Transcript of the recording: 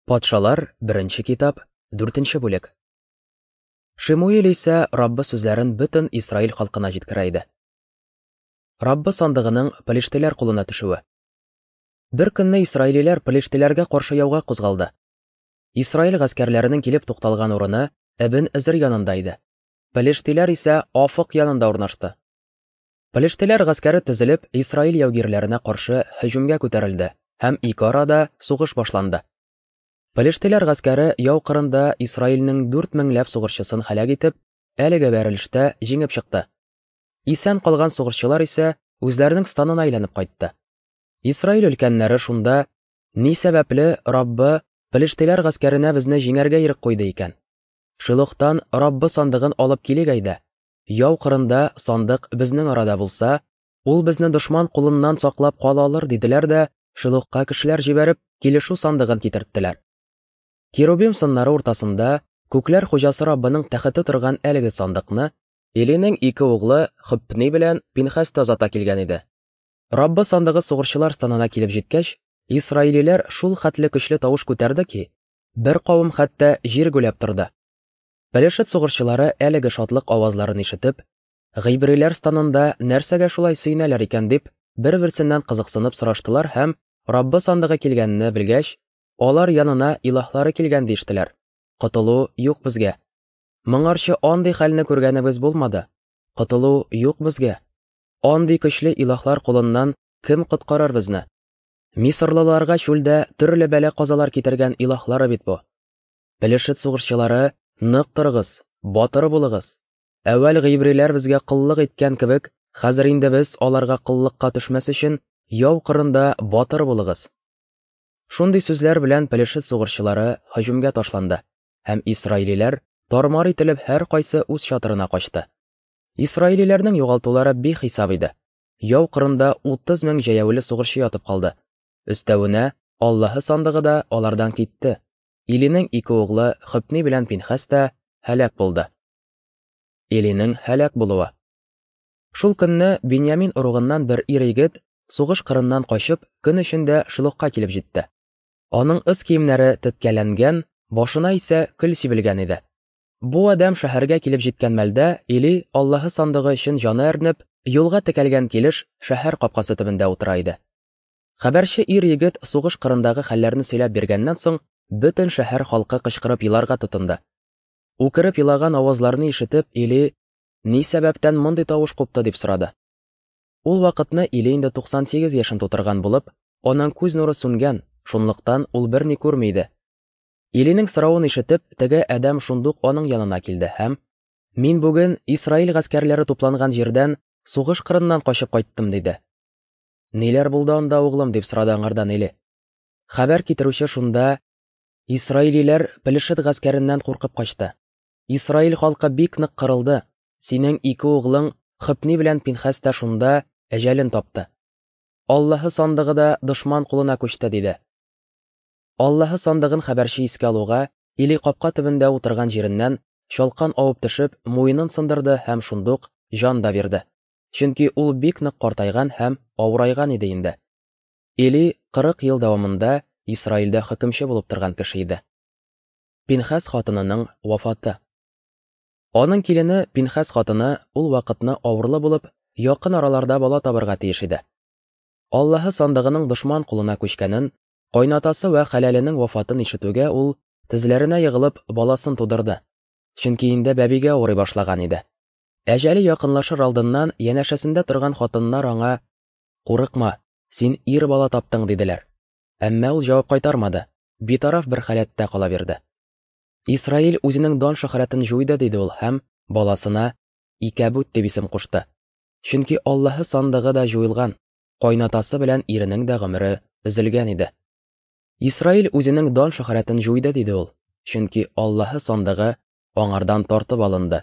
Патшалар, беренче китап, дүртенче бүлек. Шимуил исә Раббы сүзләрен бөтен Исраил халкына җиткерә иде. Раббы сандыгының пелештиләр кулына төшүе. Бер көнне исраилиләр пелештиләргә каршы яуга кузгалды. Исраил гаскәрләренең килеп тукталган урыны Эбен Эзер янында иде. Пелештиләр исә Афык янында урнашты. Пелештиләр гаскәре тезелеп Исраил яугирләренә каршы һөҗүмгә күтәрелде һәм ике арада сугыш башланды. Пелештиләр гаскәре яу кырында Исраилнең 4 меңләп сугышчысын һәлак итеп, әлеге бәрелештә җиңеп чыкты. Исән калган сугышчылар исә үзләренең станына әйләнеп кайтты. Исраил өлкәннәре шунда ни сәбәпле Раббы пелештиләр гаскәренә безне җиңәргә ирек куйды икән? Шилохтан Раббы сандыгын алып килик әйдә. Яу кырында сандык безнең арада булса, ул безне дошман кулыннан саклап кала алыр, диделәр дә, Шилохка кешеләр җибәреп, килешү сандыгын китерттеләр. Керубим сыннары уртасында күкләр хуҗасы Раббының тәхете торган әлеге сандыкны Илинең ике углы Хопни белән Пинхас та озата килгән иде. Раббы сандыгы сугышчылар станына килеп җиткәч, исраилиләр шул хәтле көчле тавыш күтәрде ки, бер кавым хәтта җир гүләп торды. Пелешет сугышчылары әлеге шатлык авазларын ишетеп, гыйбриләр станында нәрсәгә шулай сөенәләр икән дип, бер-берсеннән кызыксынып сораштылар һәм Раббы сандыгы килгәнне белгәч, алар янына илаһлары килгән диештеләр. Котылу юк безгә. Моңарчы андый хәлне күргәнебез булмады. Котылу юк безгә. Андый көчле илаһлар кулыннан кем коткарыр безне? Мисырлыларга чүлдә төрле бәла-казалар китергән илаһлары бит бу. Пелешет сугышчылары, нык торыгыз, батыр булыгыз. Әүвәл гыйбриләр безгә коллык иткән кебек, хәзер инде без аларга коллыкка төшмәс өчен яу кырында батыр булыгыз. Шундый сүзләр белән Пелешет сугышчылары һөҗүмгә ташланды, һәм исраилиләр тармар ителеп һәркайсы үз чатырына качты. Исраилиләрнең югалтулары бихисап иде. Яу кырында 30 мең җәяүле сугышчы ятып калды. Өстәвенә, Аллаһы сандыгы да алардан китте. Илинең ике углы Хөпни белән Пинхәс тә һәлак булды. Илинең һәлак булуы. Шул көнне Беньямин ыругыннан бер ир-егет сугыш кырыннан качып, көн эчендә Шилохка килеп җитте. Аның өс киемнәре теткәләнгән, башына исә көл сибелгән иде. Бу адәм шәһәргә килеп җиткән мәлдә Или Аллаһы сандыгы өчен җаны әрнеп, юлга текәлгән килеш шәһәр капкасы төбендә утыра иде. Хәбәрче ир-егет сугыш кырындагы хәлләрне сөйләп биргәннән соң, бөтен шәһәр халкы кычкырып еларга тотынды. Үкереп елаган авазларны ишетеп, Или, ни сәбәптән мондый тавыш купты, дип сорады. Ул вакытны Или инде 98 яшен тутырган булып, аның күз нуры сүнгән, шунлыктан ул берни күрми иде. Илинең соравын ишетеп, теге адәм шундук аның янына килде һәм: "Мин бүген Исраил гаскәрләре тупланган җирдән, сугыш кырыннан качып кайттым", диде. Ниләр булды анда, углым, дип сорады аңардан Или. Хәбәр китерүче шунда: Исраилиләр Пелешет гаскәреннән куркып качты. Исраил халкы бик нык кырылды. Синең ике углың Хопни белән Пинхәс тә шунда әҗәлен тапты. Аллаһы сандыгы да дошман кулына күчте, диде. Аллаһы сандыгын хәбәрче искә алуга, Или капка төбендә утырган җиреннән чалкан авып төшеп, муенын сындырды һәм шундук җан да бирде. Чөнки ул бик нык картайган һәм авырайган иде инде. Или 40 ел дәвамында Исраилдә хөкемче булып торган кеше иде. Пинхәс хатынының вафаты. Аның килене Пинхәс хатыны ул вакытны авырлы булып, якын араларда бала табырга тиеш иде. Аллаһы сандыгының дошман кулына күчкәнен, кайнатасы вә хәләленең вафатын ишетүгә ул тезләренә егылып баласын тудырды. Чөнки инде бәбигә авырый башлаган иде. Әҗәле якынлашыр алдыннан янәшәсендә торган хатыннар аңа: "Курыкма, син ир бала таптың", диделәр. Әмма ул җавап кайтармады, битараф бер халәттә кала бирде. Исраил үзенең дан шөһрәтен җуйды, диде ул һәм баласына Икәбүт дип исем кушты. Чөнки Аллаһы сандыгы да җуелган, кайнатасы белән иренең дә гомере өзелгән иде. Исраил үзенең дан шөһрәтен җуйды, диде ул, чөнки Аллаһы сандыгы аңардан тартып алынды.